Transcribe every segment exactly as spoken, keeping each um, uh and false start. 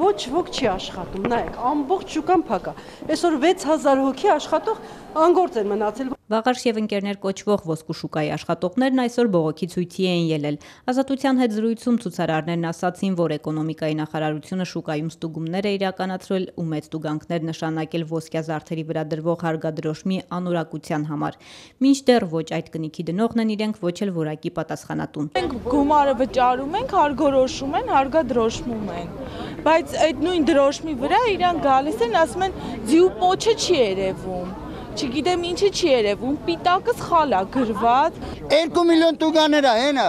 ոչ ոք չի աշխատում, նայեք, ամբողջ շուկան փակ է, այսօր վեց հազար հոգի աշխատող անգործ են մնացել։ Վաղարշ եւ ընկերներ կոչվող ոսկու շուկայի աշխատողներն այսօր բողոքի ցույցի էին ելել։ Ազատության հետ զրույցում ցուցարարներն ասացին, որ էկոնոմիկայի նախարարությունը շուկայում ստուգումներ է իրականացրել ու մեծ տուգանքներ նշանակել ոսկյա զարդերի վրա դրվող հարգադրոշմի անորակության համար։ Մինչդեռ ոչ այդ կնիքի դնողն են իրենք, ոչ էլ որակի պատասխանատուն։ Մենք գումարը վճարում ենք, հարգորոշում են, հարգադրոշմում են, բայց այդ նույն դրոշմի վրա իրանք գալիս են, ասում են ձիու պոչը չի երևում։ Չգիտեմ ինչը չի երևում, պիտակը սխալ է գրված։ երկու միլիոն տուգաներ է, հենա,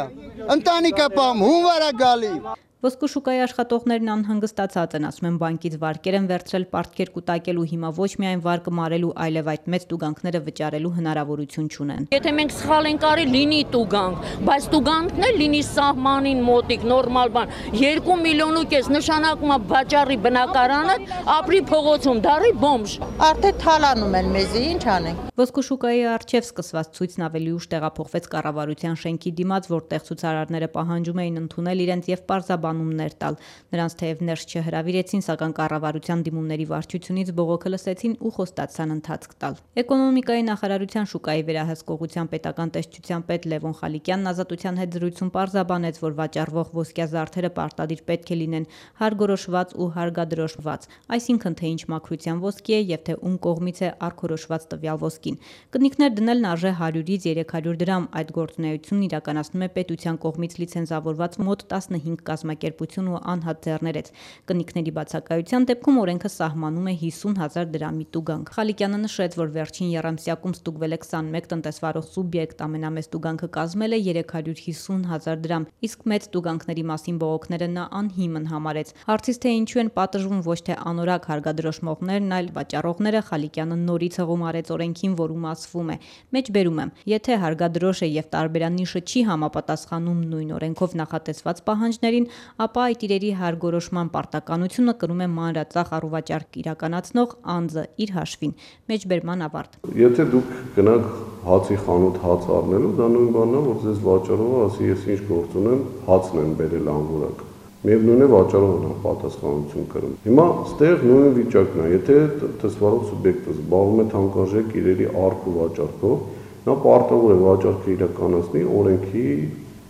ընտանիք է պահում, հունվար է գալի։ Ոսկու շուկայի աշխատողներն անհանգստացած են, ասում են բանկից վարկեր են վերցրել պարտքեր կուտակելու, հիմա ոչ միայն վարկը մարելու, այլև այդ մեծ տուգանքները վճարելու հնարավորություն չունեն։ Եթե մենք սխալ ենք արի, լինի տուգանք, բայց տուգանքն էլ լինի սահմանին մոտիկ, նորմալ բան։ Երկու միլիոն ու կես նշանակում է վաճառի բնակարանը, ապրի փողոցում, դառի բոմժ։ Արդեն թալանում են մեզի, ինչ անենք։ Ոսկու շուկայի առջև սկսված ցույցն ավելի ուշ տեղափոխվեց կառավարության շենքի դիմաց, որտեղ ցուցարարները պահանջում էին ընդունել իրենց եւ պարզաբանումներ տալ։ Նրանց թեև ներս չհրավիրեցին, սակայն կառավարության դիմումների վարչությունից բողոքը լսեցին ու խոստացան ընթացք տալ։ Էկոնոմիկայի նախարարության շուկայի վերահսկողության պետական տեսչության պետ Լևոն Խալիկյանն Ազատության հետ զրույցում պարզաբանեց, որ վաճառվող ոսկյա զարդերը պարտադիր պետք է լինեն հարգորոշված ու հարգադրոշված, այսինքն թե ինչ մաքրության ոսկի է եւ թե ում կողմից է արգորոշված տվյալ ոսկին։ Կնիքներ դնելն արժե հարյուրից երեք հարյուր դրամ, այդ գործունեությունն իրականացնում է պետության կողմից լիցենզավորված մոտ տասնհինգ կազմակերպություն ու անհատ ձեռներեց։ Կնիքների բացակայության դեպքում օրենքը սահմանում է հիսուն հազար դրամի տուգանք։ Խալիկյանը նշեց, որ վերջին եռամսյակում ստուգվել է քսանմեկ տնտեսվարող սուբյեկտ, ամենամեծ տուգանքը կազմել է երեք հարյուր հիսուն հազար դրամ, իսկ մեծ տուգանքների մասին բողոքները նա անհիմն համարեց։ Հարցից թե ինչու են պատժվում ոչ թե անորակ հարգադրոշմողներն, այլ վաճառողները, Խալիկյանը նորից հղում արեց օրենքին, որում ասվում է. մեջբերում եմ, եթե հարգադրոշը եւ տարբերանիշը չի համապատասխանում նույն օրենքով նախատեսված պահանջներին, ապա այդ իրերի հարգորոշման պարտականությունը կրում է մանրածախ առուվաճառք իրականացնող անձը իր հաշվին։ Մեջբերման ավարտ։ Եթե դուք գնաք հացի խանութ հաց առնելու, դա նույն բանն է, որ ձեզ վաճառողը ասի, ես ինչ գործ ունեմ, հացն եմ բերել անորակ։ Միևնույն է վաճառողն է պատասխանատվություն կրում։ Հիմա ստեղ նույն վիճակն է, եթե տնտեսվարող սուբյեկտը զբաղվում է թանկարժեք իրերի առք ու վաճառքով, նա պարտավոր է վաճառքը իրականացնի օրենքի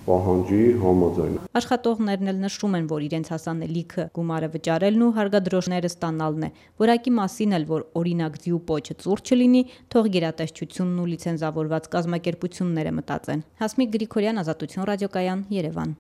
պահանջի համաձայն։ Աշխատողներն էլ նշում են, որ իրենց հասանելիքը գումարը վճարելն ու հարգադրոշները ստանալն է։ Որակի մասին էլ, որ օրինակ ձիու պոչը ծուռ չլինի, թող գերատեսչությունն ու լիցենզավորված կազմակերպությունները մտածեն։ Հասմիկ Գրիգորյան, Ազատություն ռադիոկայան, Երևան։